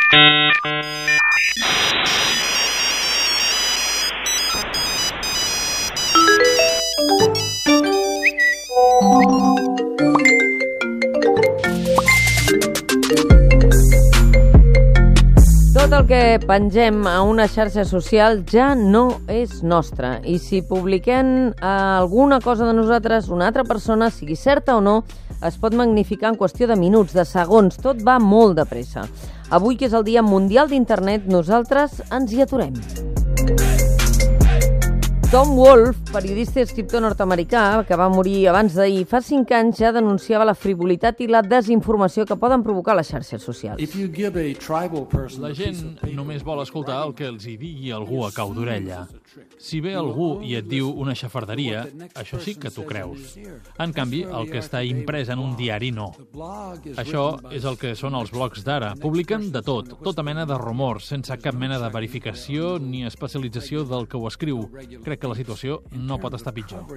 Tot el que pengem a una xarxa social ja no és nostre. I si publiquem alguna cosa de nosaltres, una altra persona, sigui certa o no, es pot magnificar en qüestió de minuts, de segons. Tot va molt de pressa. Avui, que és el Dia Mundial d'Internet, nosaltres ens hi aturem. Tom Wolfe, periodista i escriptor nord-americà, que va morir abans d'ahir, fa 5 anys ja denunciava la frivolitat i la desinformació que poden provocar les xarxes socials. La gent només vol escoltar el que els hi digui algú a cau d'orella. Si ve algú i et diu una xafarderia, això sí que t'ho creus. En canvi, el que està imprès en un diari no. Això és el que són els blogs d'ara. Publiquen de tot, tota mena de rumors, sense cap mena de verificació ni especialització del que ho escriu. Crec que la situació no pot estar pitjor.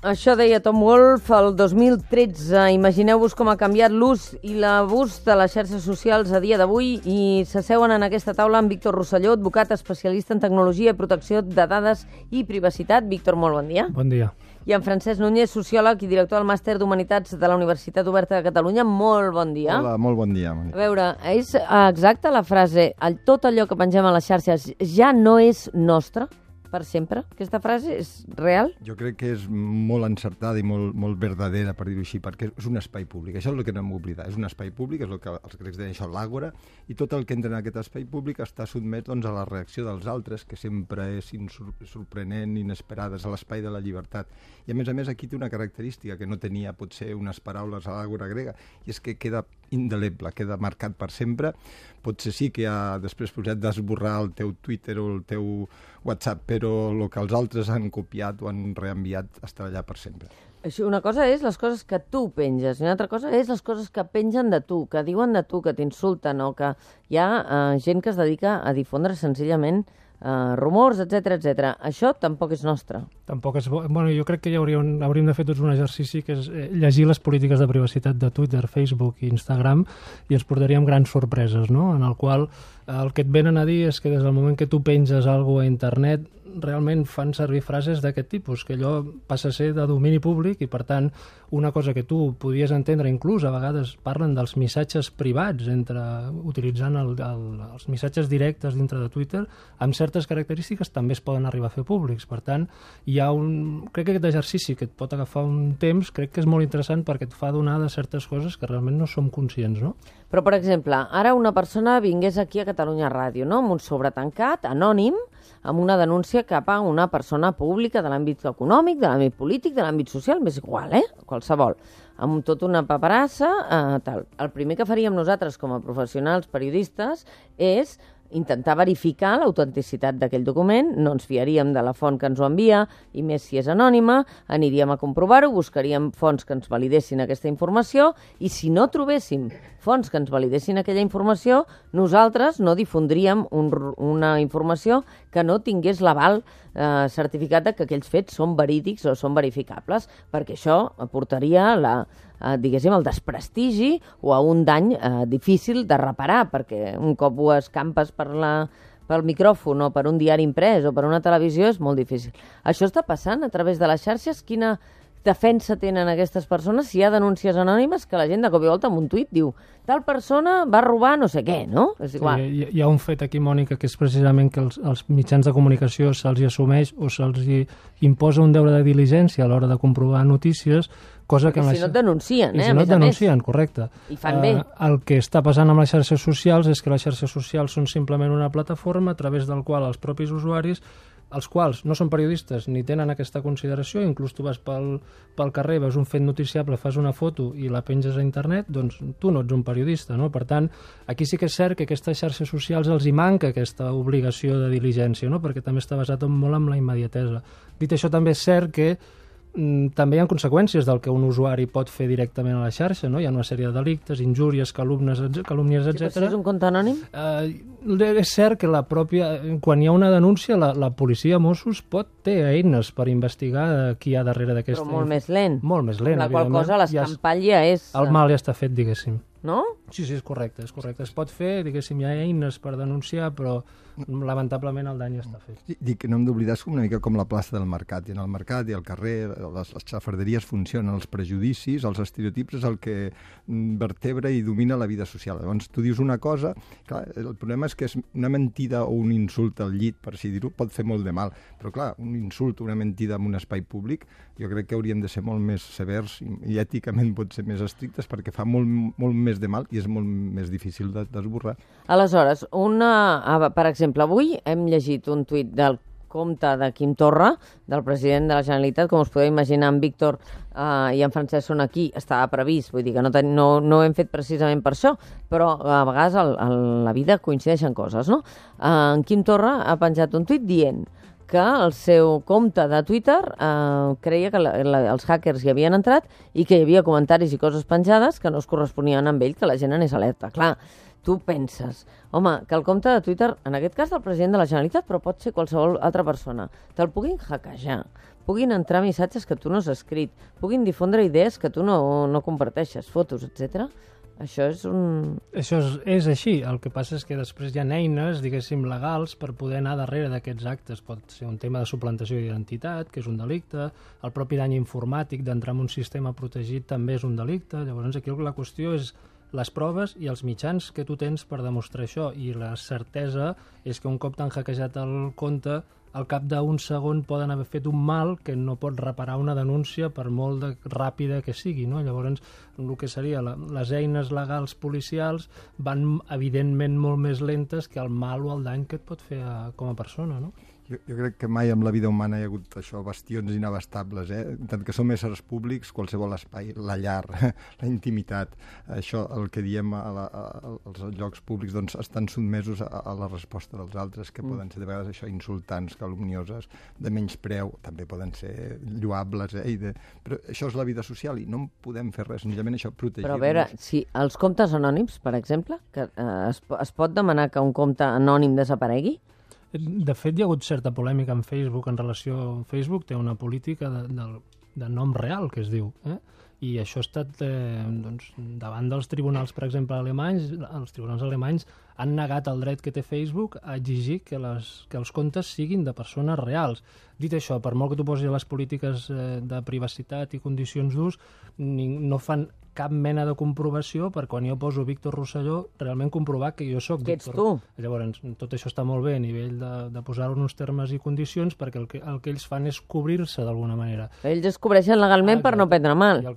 Això deia Tom Wolfe el 2013. Imagineu-vos com ha canviat l'ús i l'abús de les xarxes socials a dia d'avui, i s'asseuen en aquesta taula amb Víctor Rosselló, advocat especialista en tecnologia i protecció de dades i privacitat. Víctor, molt bon dia. Bon dia. I en Francesc Núñez, sociòleg i director del Màster d'Humanitats de la Universitat Oberta de Catalunya. Molt bon dia. Hola, molt bon dia. A veure, és exacta la frase tot allò que pengem a les xarxes ja no és nostre per sempre? Aquesta frase és real? Jo crec que és molt encertada i molt verdadera, per dir-ho així, perquè és un espai públic. Això és el que no hem d'oblidar. És un espai públic, és el que els grecs deien això, l'àgora, i tot el que entra en aquest espai públic està sotmès a la reacció dels altres, que sempre és sorprenent, inesperada, és l'espai de la llibertat. I a més, aquí té una característica que no tenia, potser, unes paraules a l'àgora grega, i és que queda indeleble, queda marcat per sempre. Potser sí que després has d'esborrar el teu Twitter o el teu WhatsApp, però el que els altres han copiat o han reenviat estarà allà per sempre. Una cosa és les coses que tu penges, i una altra cosa és les coses que pengen de tu, que diuen de tu, que t'insulten, o que hi ha gent que es dedica a difondre senzillament rumors, etc. Això tampoc és nostre. Tampoc és bo. Bueno, jo crec que ja hauríem de fer tots un exercici, que és llegir les polítiques de privacitat de Twitter, Facebook i Instagram, i ens portaríem grans sorpreses, no? En el qual el que et venen a dir és que des del moment que tu penges alguna cosa a internet realment fan servir frases d'aquest tipus, que allò passa a ser de domini públic i, per tant, una cosa que tu podies entendre, inclús a vegades parlen dels missatges privats utilitzant els missatges directes dintre de Twitter, amb certes característiques també es poden arribar a fer públics. Per tant, crec que aquest exercici que et pot agafar un temps, crec que és molt interessant perquè et fa donar de certes coses que realment no som conscients, no? Però, per exemple, ara una persona vingués aquí a Catalunya Ràdio, no?, amb un sobre tancat, anònim, amb una denúncia cap a una persona pública de l'àmbit econòmic, de l'àmbit polític, de l'àmbit social, m'és igual, qualsevol, amb tota una paperassa, tal. El primer que faríem nosaltres com a professionals periodistes és intentar verificar l'autenticitat d'aquell document, no ens fiaríem de la font que ens ho envia, i més si és anònima, aniríem a comprovar-ho, buscaríem fonts que ens validessin aquesta informació, i si no trobéssim fonts que ens validessin aquella informació, nosaltres no difondríem una informació que no tingués l'aval certificat de que aquells fets són verídics o són verificables, perquè això aportaria el desprestigi o a un dany difícil de reparar, perquè un cop ho escampes pel micròfon o per un diari imprès o per una televisió és molt difícil. Això està passant a través de les xarxes? Quina defensa tenen aquestes persones si hi ha denúncies anònimes que la gent de cop i volta amb un tuit diu tal persona va robar no sé què, no? És igual. Sí, hi ha un fet aquí, Mònica, que és precisament que els mitjans de comunicació se'ls assumeix o se'ls imposa un deure de diligència a l'hora de comprovar notícies, cosa que... Si no et denuncien, si no et denuncien, correcte. I fan bé. El que està passant amb les xarxes socials és que les xarxes socials són simplement una plataforma a través del qual els propis usuaris, els quals no són periodistes ni tenen aquesta consideració, inclús tu vas pel carrer, veus un fet noticiable, fas una foto i la penges a internet, doncs tu no ets un periodista, no? Per tant, aquí sí que és cert que a aquestes xarxes socials els hi manca aquesta obligació de diligència, no? Perquè també està basat molt en la immediatesa. Dit això, també és cert que també hi ha conseqüències del que un usuari pot fer directament a la xarxa, no? Hi ha una sèrie de delictes, injúries, calúmnies, etc. Si és un compte anònim? És cert que quan hi ha una denúncia, la policia Mossos té eines per investigar qui hi ha darrere d'aquesta... Però molt més lent. Molt més lent, la qual cosa l'escampall ja és... El mal ja està fet, diguéssim. no? Sí, és correcte, és correcte. Es pot fer, diguéssim, hi ha eines per denunciar, però lamentablement el dany ja està fet. Dic que no hem d'oblidar, és una mica com la plaça del mercat. I en el mercat i al carrer les xafarderies funcionen, els prejudicis, els estereotips és el que vertebra i domina la vida social. Llavors tu dius una cosa, clar, el problema és que és una mentida o un insult al llit, per així dir-ho, pot fer molt de mal. Però clar, un insult o una mentida en un espai públic, jo crec que hauríem de ser molt més severs i èticament pot ser més estrictes perquè fa molt més de mal i és molt més difícil d'esborrar. Aleshores, per exemple, avui hem llegit un tuit del compte de Quim Torra, del president de la Generalitat, com us podeu imaginar, en Víctor i en Francesc són aquí, estava previst, vull dir que no ho hem fet precisament per això, però a vegades a la vida coincideixen coses, no? En Quim Torra ha penjat un tuit dient que el seu compte de Twitter creia que els hackers hi havien entrat i que hi havia comentaris i coses penjades que no es corresponien amb ell, que la gent anés alerta. Clar, tu penses, home, que el compte de Twitter, en aquest cas del president de la Generalitat, però pot ser qualsevol altra persona, te'l puguin hackejar, puguin entrar missatges que tu no has escrit, puguin difondre idees que tu no comparteixes, fotos, etc. Això és Això és així. El que passa és que després hi ha eines, diguéssim, legals per poder anar darrere d'aquests actes. Pot ser un tema de suplantació d'identitat, que és un delicte, el propi dany informàtic d'entrar en un sistema protegit també és un delicte. Llavors aquí la qüestió és les proves i els mitjans que tu tens per demostrar això. I la certesa és que un cop t'han hackejat el compte, al cap d'un segon poden haver fet un mal que no pot reparar una denúncia per molt ràpida que sigui, no? Llavors, el que seria les eines legals policials van, evidentment, molt més lentes que el mal o el dany que et pot fer com a persona, no? Jo crec que mai en la vida humana hi ha hagut això, bastions inabastables, tant que som éssers públics, qualsevol espai, la llar, la intimitat, això, el que diem als llocs públics, doncs estan sotmesos a la resposta dels altres, que poden ser de vegades això, insultants, calumnioses, de menyspreu, també poden ser lloables, però això és la vida social i no en podem fer res, senzillament això, protegir-nos. Però a veure, si els comptes anònims, per exemple, que es pot demanar que un compte anònim desaparegui? De fet, hi ha hagut certa polèmica en Facebook en relació... Facebook té una política de nom real, que es diu, i això ha estat davant dels tribunals, per exemple, alemanys. Els tribunals alemanys han negat el dret que té Facebook a exigir que els comptes siguin de persones reals. Dit això, per molt que tu posis les polítiques de privacitat i condicions d'ús, no fan cap mena de comprovació per quan jo poso Víctor Rosselló realment comprovar que jo sóc Víctor. Que ets tu. Llavors, tot això està molt bé a nivell de posar-ho en uns termes i condicions perquè el que ells fan és cobrir-se d'alguna manera. Ells es cobreixen legalment per no prendre mal. I el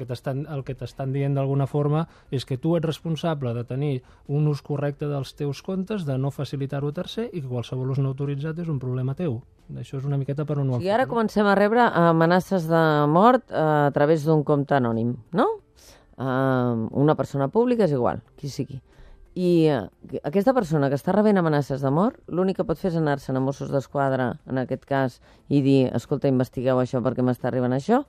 que t'estan dient d'alguna forma és que tu ets responsable de tenir un ús correcte dels teus comptes, de no facilitar-ho a tercer i que qualsevol ús no autoritzat és un problema teu. Això és una miqueta per on ho ha fet. I ara comencem a rebre amenaces de mort a través d'un compte anònim, no? Una persona pública és igual, qui sigui. I aquesta persona que està rebent amenaces de mort, l'únic que pot fer és anar-se'n a Mossos d'Esquadra, en aquest cas, i dir, escolta, investigueu això perquè m'està arribant això,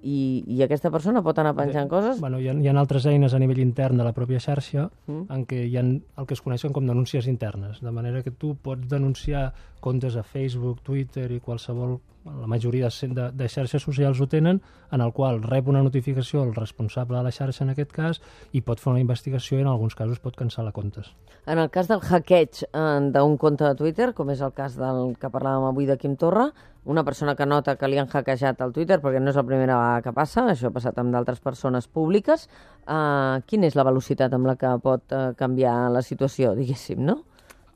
i aquesta persona pot anar penjant coses? Bueno, hi ha altres eines a nivell intern de la pròpia xarxa en què hi ha el que es coneixen com denúncies internes, de manera que tu pots denunciar comptes a Facebook, Twitter i qualsevol, la majoria de xarxes socials ho tenen, en el qual rep una notificació el responsable de la xarxa en aquest cas i pot fer una investigació i en alguns casos pot cancel·lar comptes. En el cas del hackeig d'un compte de Twitter, com és el cas del que parlàvem avui de Quim Torra, una persona que nota que li han hackejat el Twitter, perquè no és la primera vegada que passa, això ha passat amb d'altres persones públiques, quina és la velocitat amb la que pot canviar la situació, diguéssim, no?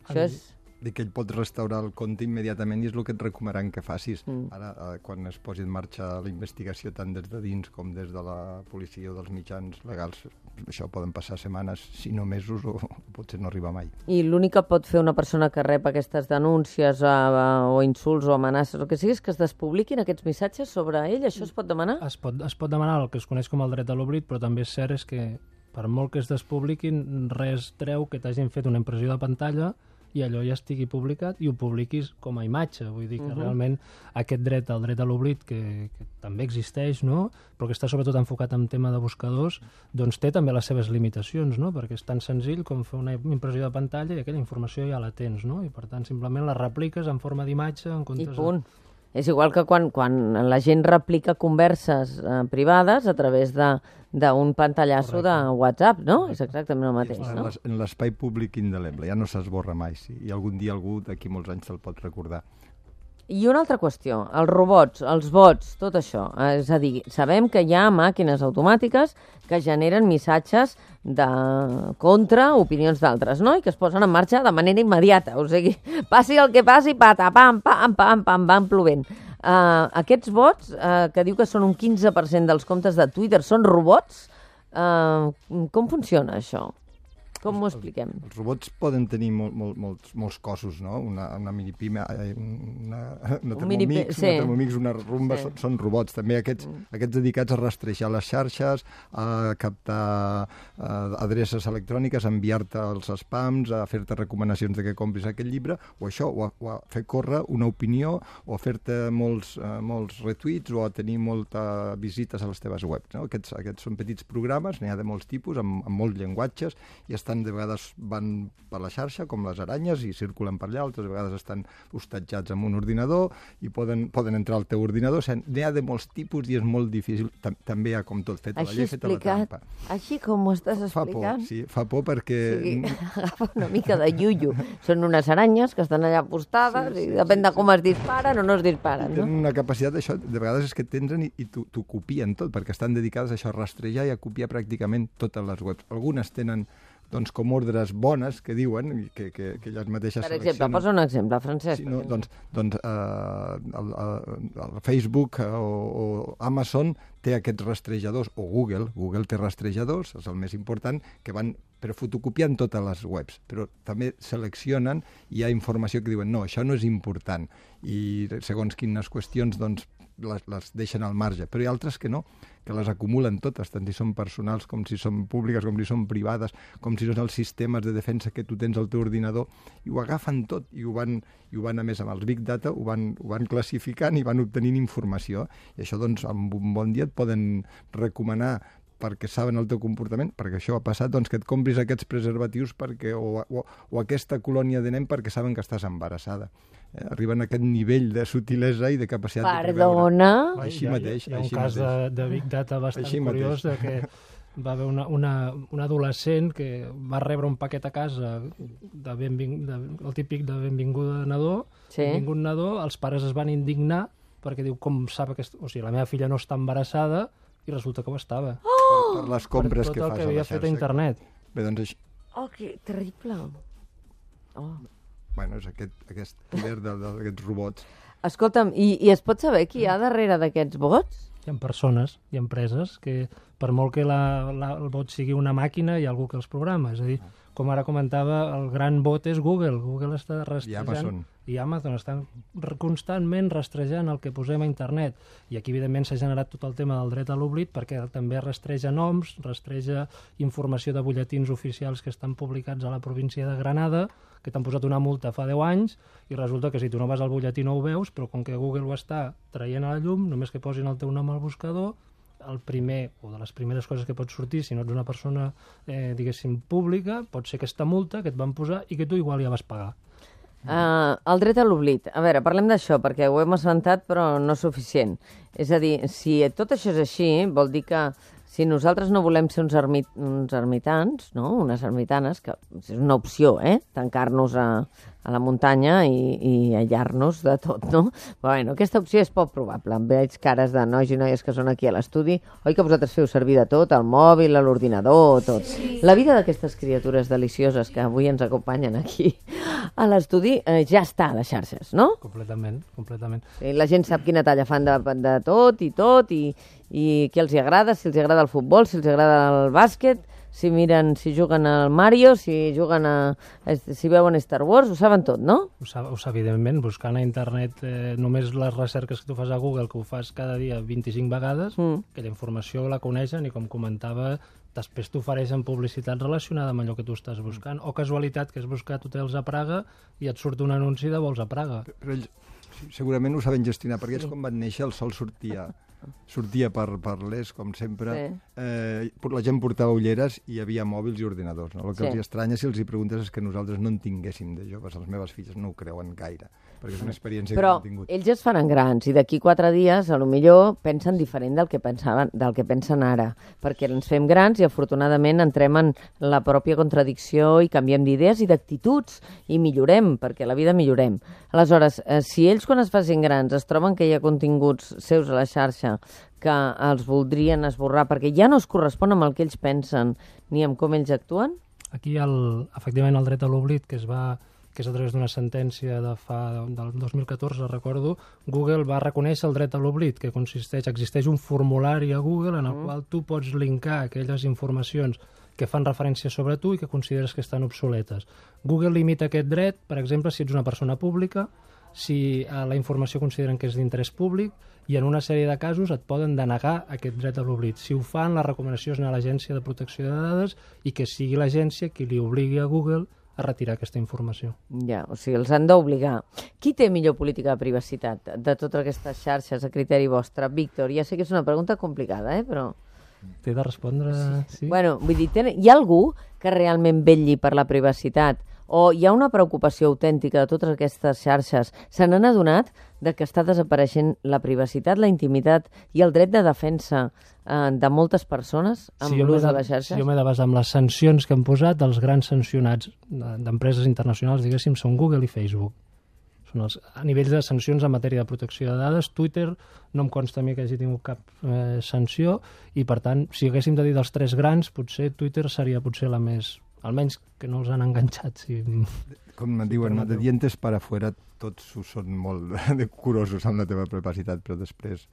Això és... que ell pot restaurar el compte immediatament i és el que et recomanaran que facis. Ara, quan es posi en marxa la investigació tant des de dins com des de la policia o dels mitjans legals, això poden passar setmanes, si no mesos, o potser no arriba mai. I l'únic que pot fer una persona que rep aquestes denúncies o insults o amenaces, el que sigui, és que es despubliquin aquests missatges sobre ell? Això es pot demanar? Es pot demanar el que es coneix com el dret a l'oblit, però també és cert és que per molt que es despubliquin, res treu que t'hagin fet una impressió de pantalla i allò ja estigui publicat i ho publiquis com a imatge. Vull dir que realment aquest dret, el dret a l'oblit, que també existeix, no? Però que està sobretot enfocat en tema de buscadors, doncs té també les seves limitacions, no? Perquè és tan senzill com fer una impressió de pantalla i aquella informació ja la tens, no? I per tant simplement la repliques en forma d'imatge en comptes... I punt. És igual que quan la gent replica converses privades a través d'un pantallasso de WhatsApp, no? És exactament el mateix, no? En l'espai públic indeleble, ja no s'esborra mai, sí. I algun dia algú d'aquí molts anys te'l pot recordar. I una altra qüestió, els robots, els bots, tot això. És a dir, sabem que hi ha màquines automàtiques que generen missatges contra opinions d'altres, no? I que es posen en marxa de manera immediata. O sigui, passi el que passi, pata, pam, pam, pam, pam, van plovent. Aquests bots, que diu que són un 15% dels comptes de Twitter, són robots? Com funciona això? Com ho expliquem? Els robots poden tenir molts cossos, no? Una minipime, una Thermomix, una rumba, són robots. També aquests dedicats a rastrejar les xarxes, a captar adreces electròniques, a enviar-te els spams, a fer-te recomanacions de que compris aquest llibre, o això, o a fer córrer una opinió, o a fer-te molts retuits, o a tenir moltes visites a les teves webs. No? Aquests són petits programes, n'hi ha de molts tipus, amb molts llenguatges, i de vegades van per la xarxa, com les aranyes, i circulen per allà, altres vegades estan hostatjats en un ordinador i poden entrar al teu ordinador. N'hi ha de molts tipus i és molt difícil. També hi ha com tot fet a la llei, fet a la trampa. Així com ho estàs explicant? Fa por perquè... Agafa una mica de iuiu. Són unes aranyes que estan allà postades i depèn de com es disparen o no es disparen. Tenen una capacitat, això, de vegades és que t'entren i t'ho copien tot, perquè estan dedicades a això, a rastrejar i a copiar pràcticament totes les webs. Algunes tenen com ordres bones que diuen que elles mateixes seleccionen. Per exemple, posa un exemple, Francesc. Sí, el Facebook o Amazon té aquests rastrejadors, o Google té rastrejadors, és el més important, que van per fotocopiant totes les webs, però també seleccionen i hi ha informació que diuen no, això no és important, i segons quines qüestions les deixen al marge, però hi ha altres que no, que les acumulen totes, tant si són personals com si són públiques, com si són privades, com si són els sistemes de defensa que tu tens al teu ordinador, i ho agafen tot, i ho van a més amb els Big Data, ho van classificant i van obtenint informació, i això doncs en un bon dia et poden recomanar perquè saben el teu comportament, perquè això ha passat, doncs que et compris aquests preservatius o aquesta colònia de nen perquè saben que estàs embarassada. Arriben a aquest nivell de sutilesa i de capacitat de preveure. Perdona? Així mateix. Hi ha un cas de Big Data bastant curiós de que va haver un adolescent que va rebre un paquet a casa el típic de benvinguda nadó, benvingut nadó, els pares es van indignar perquè diu, com sap que... O sigui, la meva filla no està embarassada i resulta que ho estava. Per les compres que fas a la xarxa. Per tot el que havia fet a internet. Bé, doncs això... Oh, que terrible. Oh. Bueno, és aquest poder d'aquests robots. Escolta'm, i es pot saber qui hi ha darrere d'aquests bots? Hi ha persones i empreses que, per molt que el bot sigui una màquina, hi ha algú que els programa. És a dir, com ara comentava, el gran bot és Google. Google està rastrejant... I Amazon estan constantment rastrejant el que posem a internet. I aquí, evidentment, s'ha generat tot el tema del dret a l'oblit perquè també rastreja noms, rastreja informació de butlletins oficials que estan publicats a la província de Granada, que t'han posat una multa fa 10 anys, i resulta que si tu no vas al butlletí no ho veus, però com que Google ho està traient a la llum, només que posin el teu nom al buscador, el primer, o de les primeres coses que pot sortir, si no ets una persona, diguéssim, pública, pot ser aquesta multa que et van posar i que tu igual ja vas pagar. El dret a l'oblit. A veure, parlem d'això, perquè ho hem esmentat, però no és suficient. És a dir, si tot això és així, vol dir que si nosaltres no volem ser uns ermitans, no? Unes ermitanes, que és una opció, tancar-nos a la muntanya i aïllar-nos de tot, no? Però bueno, aquesta opció és poc probable. Veig cares de nois i noies que són aquí a l'estudi. Oi que vosaltres feu servir de tot, el mòbil, l'ordinador, tot. Sí. La vida d'aquestes criatures delicioses que avui ens acompanyen aquí a l'estudi ja està a les xarxes, no? Completament. La gent sap quina talla fan de tot, i què els agrada, si els agrada el futbol, si els agrada el bàsquet, si juguen al Mario, si veuen Star Wars, ho saben tot, no? Ho sap, evidentment, buscant a internet només les recerques que tu fas a Google, que ho fas cada dia 25 vegades, aquella informació la coneixen i, com comentava, després t'ofereixen publicitat relacionada amb allò que tu estàs buscant, o casualitat, que has buscat hotels a Praga i et surt un anunci de vols a Praga. Però ells segurament ho saben gestionar, perquè ells quan van néixer el sol sortia sortia per l'est, com sempre. La gent portava ulleres i hi havia mòbils i ordinadors. No? El que els estranya, si els hi preguntes, és que nosaltres no en tinguéssim de joves. Les meves filles no ho creuen gaire, perquè és una experiència que no han tingut. Però ells ja es faran grans i d'aquí 4 dies, a lo millor, pensen diferent del que pensen ara, perquè ens fem grans i afortunadament entrem en la pròpia contradicció i canviem d'idees i d'actituds i millorem, perquè a la vida millorem. Aleshores, si ells quan es facin grans es troben que hi ha continguts seus a la xarxa que els voldrien esborrar perquè ja no es correspon amb el que ells pensen ni amb com ells actuen? Aquí, efectivament, el dret a l'oblit, que és a través d'una sentència del 2014, recordo, Google va reconèixer el dret a l'oblit, que existeix un formulari a Google en el qual tu pots linkar aquelles informacions que fan referència sobre tu i que consideres que estan obsoletes. Google limita aquest dret, per exemple, si ets una persona pública, si la informació consideren que és d'interès públic, i en una sèrie de casos et poden denegar aquest dret a l'oblit. Si ho fan, la recomanació és anar a l'Agència de Protecció de Dades i que sigui l'agència qui li obligui a Google a retirar aquesta informació. Ja, o sigui, els han d'obligar. Qui té millor política de privacitat de totes aquestes xarxes a criteri vostre? Víctor, ja sé que és una pregunta complicada, però... T'he de respondre... Sí. Bueno, vull dir, hi ha algú que realment vetlli per la privacitat o hi ha una preocupació autèntica de totes aquestes xarxes? Se n'han adonat de que està desapareixent la privacitat, la intimitat i el dret de defensa de moltes persones amb l'ús de les xarxes? Si jo m'he de basar en les sancions que han posat, els grans sancionats d'empreses internacionals, diguéssim, són Google i Facebook. Són a nivell de sancions en matèria de protecció de dades. Twitter no em consta a mi que hagi tingut cap sanció i, per tant, si haguéssim de dir dels 3 grans, potser Twitter seria potser la més... almenys que no els han enganxat. Si... Com em diuen, de dientes para afuera tots són molt curosos amb la teva privacitat, però després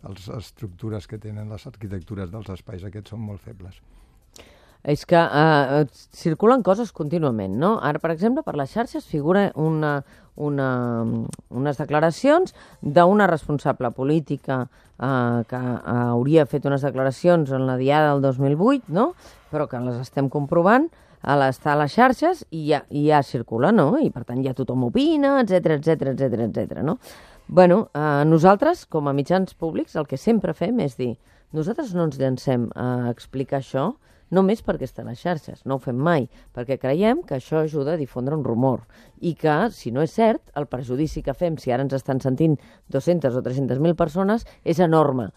les estructures que tenen, les arquitectures dels espais aquests són molt febles. És que circulen coses contínuament, no? Ara, per exemple, per les xarxes figura unes declaracions d'una responsable política que hauria fet unes declaracions en la Diada del 2008, no? Però que les estem comprovant, està a les xarxes i ja circula, no? I per tant ja tothom opina, etc, no? Bueno, nosaltres, com a mitjans públics, el que sempre fem és dir, nosaltres no ens llancem a explicar això només perquè està a les xarxes, no ho fem mai, perquè creiem que això ajuda a difondre un rumor i que, si no és cert, el perjudici que fem, si ara ens estan sentint 200 o 300.000 persones, és enorme.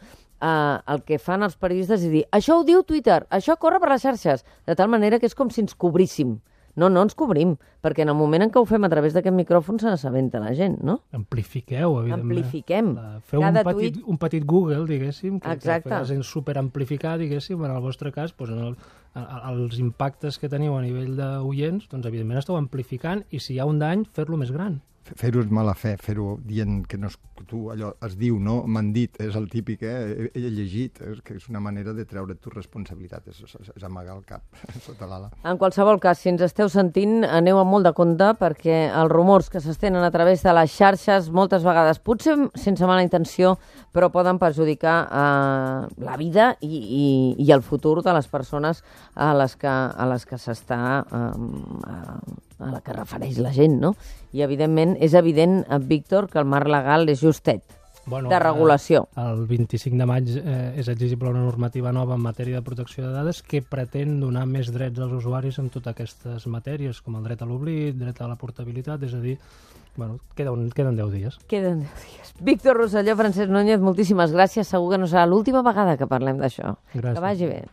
El que fan els periodistes és dir, això ho diu Twitter, això corre per les xarxes, de tal manera que és com si ens cobríssim. No ens cobrim, perquè en el moment en què ho fem a través d'aquest micròfon se n'assabenta la gent, no? Amplifiqueu, evidentment. Amplifiquem. Feu un petit Google, diguéssim, que és superamplificar, diguéssim, en el vostre cas, doncs, els impactes que teniu a nivell d'oients, doncs evidentment esteu amplificant i si hi ha un dany, fer-lo més gran. Fer-ho és mala fe, fer-ho dient que no és, tu allò es diu, no? M'han dit, és el típic, he llegit, que és una manera de treure tu responsabilitat, és amagar el cap sota l'ala. En qualsevol cas, si ens esteu sentint, aneu amb molt de compte perquè els rumors que s'estenen a través de les xarxes moltes vegades, potser sense mala intenció, però poden perjudicar la vida i el futur de les persones a les que s'està a la que refereix la gent, no? I, evidentment, és evident, Víctor, que el marc legal és justet, de regulació. El 25 de maig és exigible una normativa nova en matèria de protecció de dades que pretén donar més drets als usuaris en totes aquestes matèries, com el dret a l'oblit, dret a la portabilitat, és a dir, queden 10 dies. Queden 10 dies. Víctor Rosselló, Francesc Núñez, moltíssimes gràcies. Segur que no serà l'última vegada que parlem d'això. Gràcies. Que vagi bé.